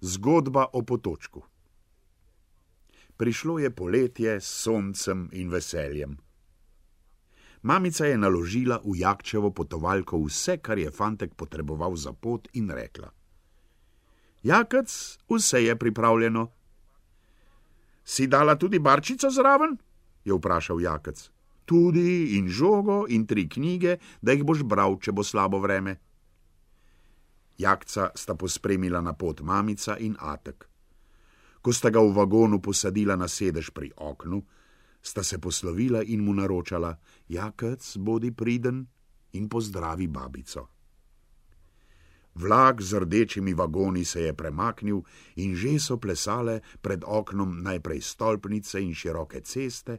Zgodba o potočku. Prišlo je poletje s soncem in veseljem. Mamica je naložila v Jakčevo potovalko vse, kar je fantek potreboval za pot, in rekla: Jakec, vse je pripravljeno. Si dala tudi barčico zraven? Je vprašal Jakec. Tudi in žogo in 3 knjige, da jih boš bral, če bo slabo vreme. Jakca sta pospremila na pot mamica in atek. Ko sta ga v vagonu posadila na sedež pri oknu, sta se poslovila in mu naročala: Jakec, bodi priden in pozdravi babico. Vlak z rdečimi vagoni se je premaknil in že so plesale pred oknom najprej stolpnice in široke ceste,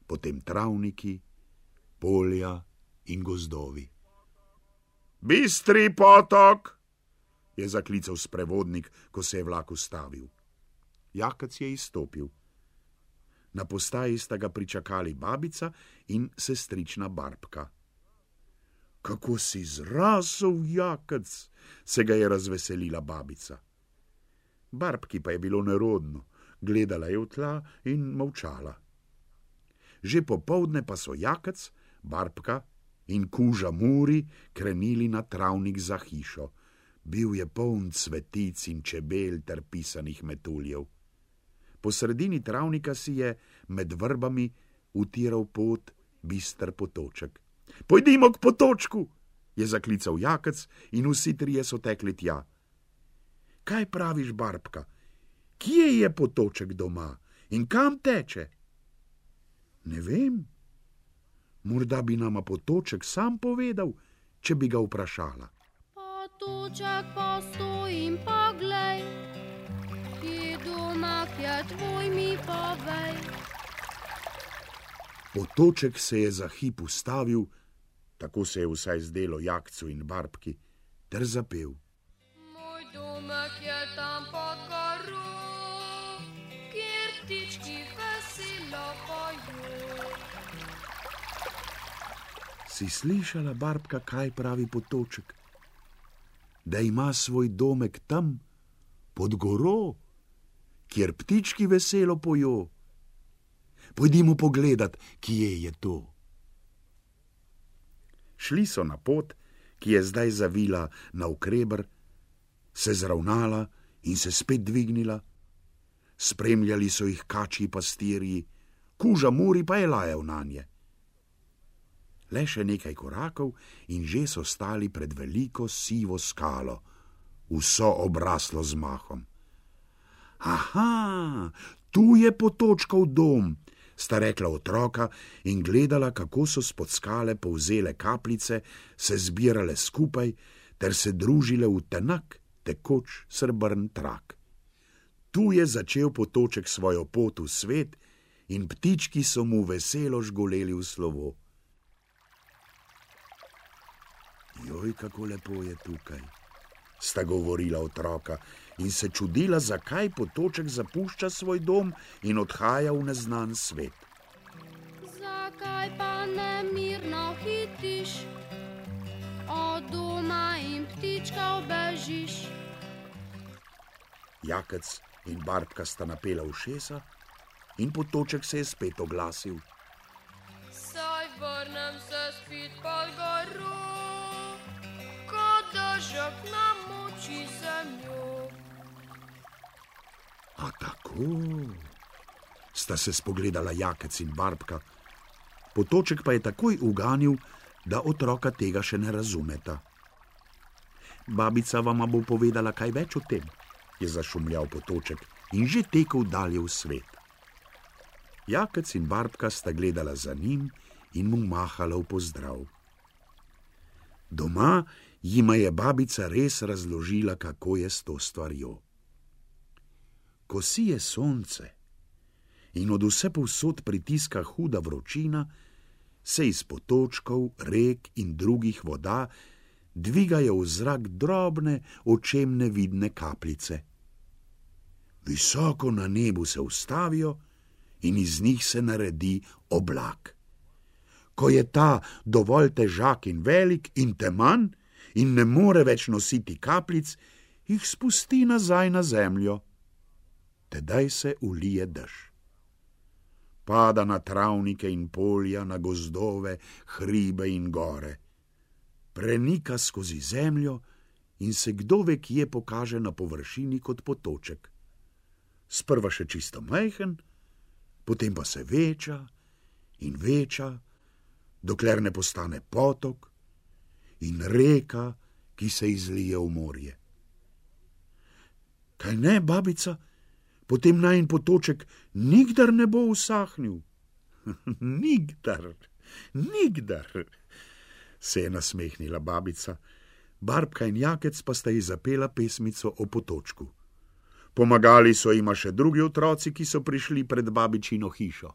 potem travniki, polja in gozdovi. Bistri potok, je zaklical sprevodnik, ko se je vlak ustavil. Jakec je izstopil. Na postaji sta ga pričakali babica in sestrična Barbka. Kako si zrasel, Jakec, se ga je razveselila babica. Barbki pa je bilo nerodno, gledala je v tla in molčala. Že popoldne pa so Jakec, Barbka in kuža Muri krenili na travnik za hišo. Bil je poln cvetic in čebel ter pisanih metuljev. Po sredini travnika si je med vrbami utiral pot bister potoček. Pojdimo k potočku, je zaklical Jakec in vsi trije so tekli tja. Kaj praviš, Barbka? Kje je potoček doma in kam teče? Ne vem. Morda bi nama potoček sam povedal, če bi ga vprašala. Potoček, postoj in poglej, kje doma je tvoj, mi povej. Potoček se je za hip ustavil, tako se je vsaj zdelo Jakcu in Barbki, ter zapel. Moj domek je tam pod goro, kjer ptički veselo pojo. Si slišala, Barbka, kaj pravi potoček? Da ima svoj domek tam, pod goro, kjer ptički veselo pojo. Pojdimo pogledat, kje je to. Šli so na pot, ki je zdaj zavila navkreber, se zravnala in se spet dvignila. Spremljali so jih kačji pastirji, kuža Muri pa je lajal nanje. Le še nekaj korakov in že so stali pred veliko sivo skalo, vso obraslo z mahom. Aha, tu je potočkov dom, sta rekla otroka in gledala, kako so spod skale povzele kapljice, se zbirale skupaj ter se družile v tenak, tekoč srebrn trak. Tu je začel potoček svojo pot v svet in ptički so mu veselo žgoleli v slovo. Joj, kako lepo je tukaj, sta govorila otroka in se čudila, zakaj potoček zapušča svoj dom in odhaja v neznan svet. Zakaj pa nemirno hitiš, od doma in ptičkov bežiš? Jakec in Barbka sta napela ušesa in potoček se je spet oglasil. Saj vrnem se spet pod goro, dežek namoči zemljo. A tako, sta se spogledala Jakec in Barbka. Potoček pa je takoj uganil, da otroka tega še ne razumeta. Babica vama bo povedala kaj več o tem, je zašumljal potoček in že tekel dalje v svet. Jakec in Barbka sta gledala za njim in mu mahala v pozdrav. Doma jima je babica res razložila, kako je s to stvarjo. Ko sije sonce in od vse povsod pritiska huda vročina, se iz potočkov, rek in drugih voda dvigajo v zrak drobne, očem nevidne kapljice. Visoko na nebu se ustavijo in iz njih se naredi oblak. Ko je ta dovolj težak in velik in teman in ne more več nositi kapljic, jih spusti nazaj na zemljo. Tedaj se ulije dež. Pada na travnike in polja, na gozdove, hribe in gore. Prenika skozi zemljo in se kdo ve kje pokaže na površini kot potoček. Sprva še čisto majhen, potem pa se veča in veča, dokler ne postane potok in reka, ki se izlije v morje. Kaj ne, babica, potem najin potoček nikdar ne bo usahnil. Nikdar, se je nasmehnila babica. Barbka in Jakec pa sta ji zapela pesmico o potočku. Pomagali so jima še drugi otroci, ki so prišli pred babičino hišo.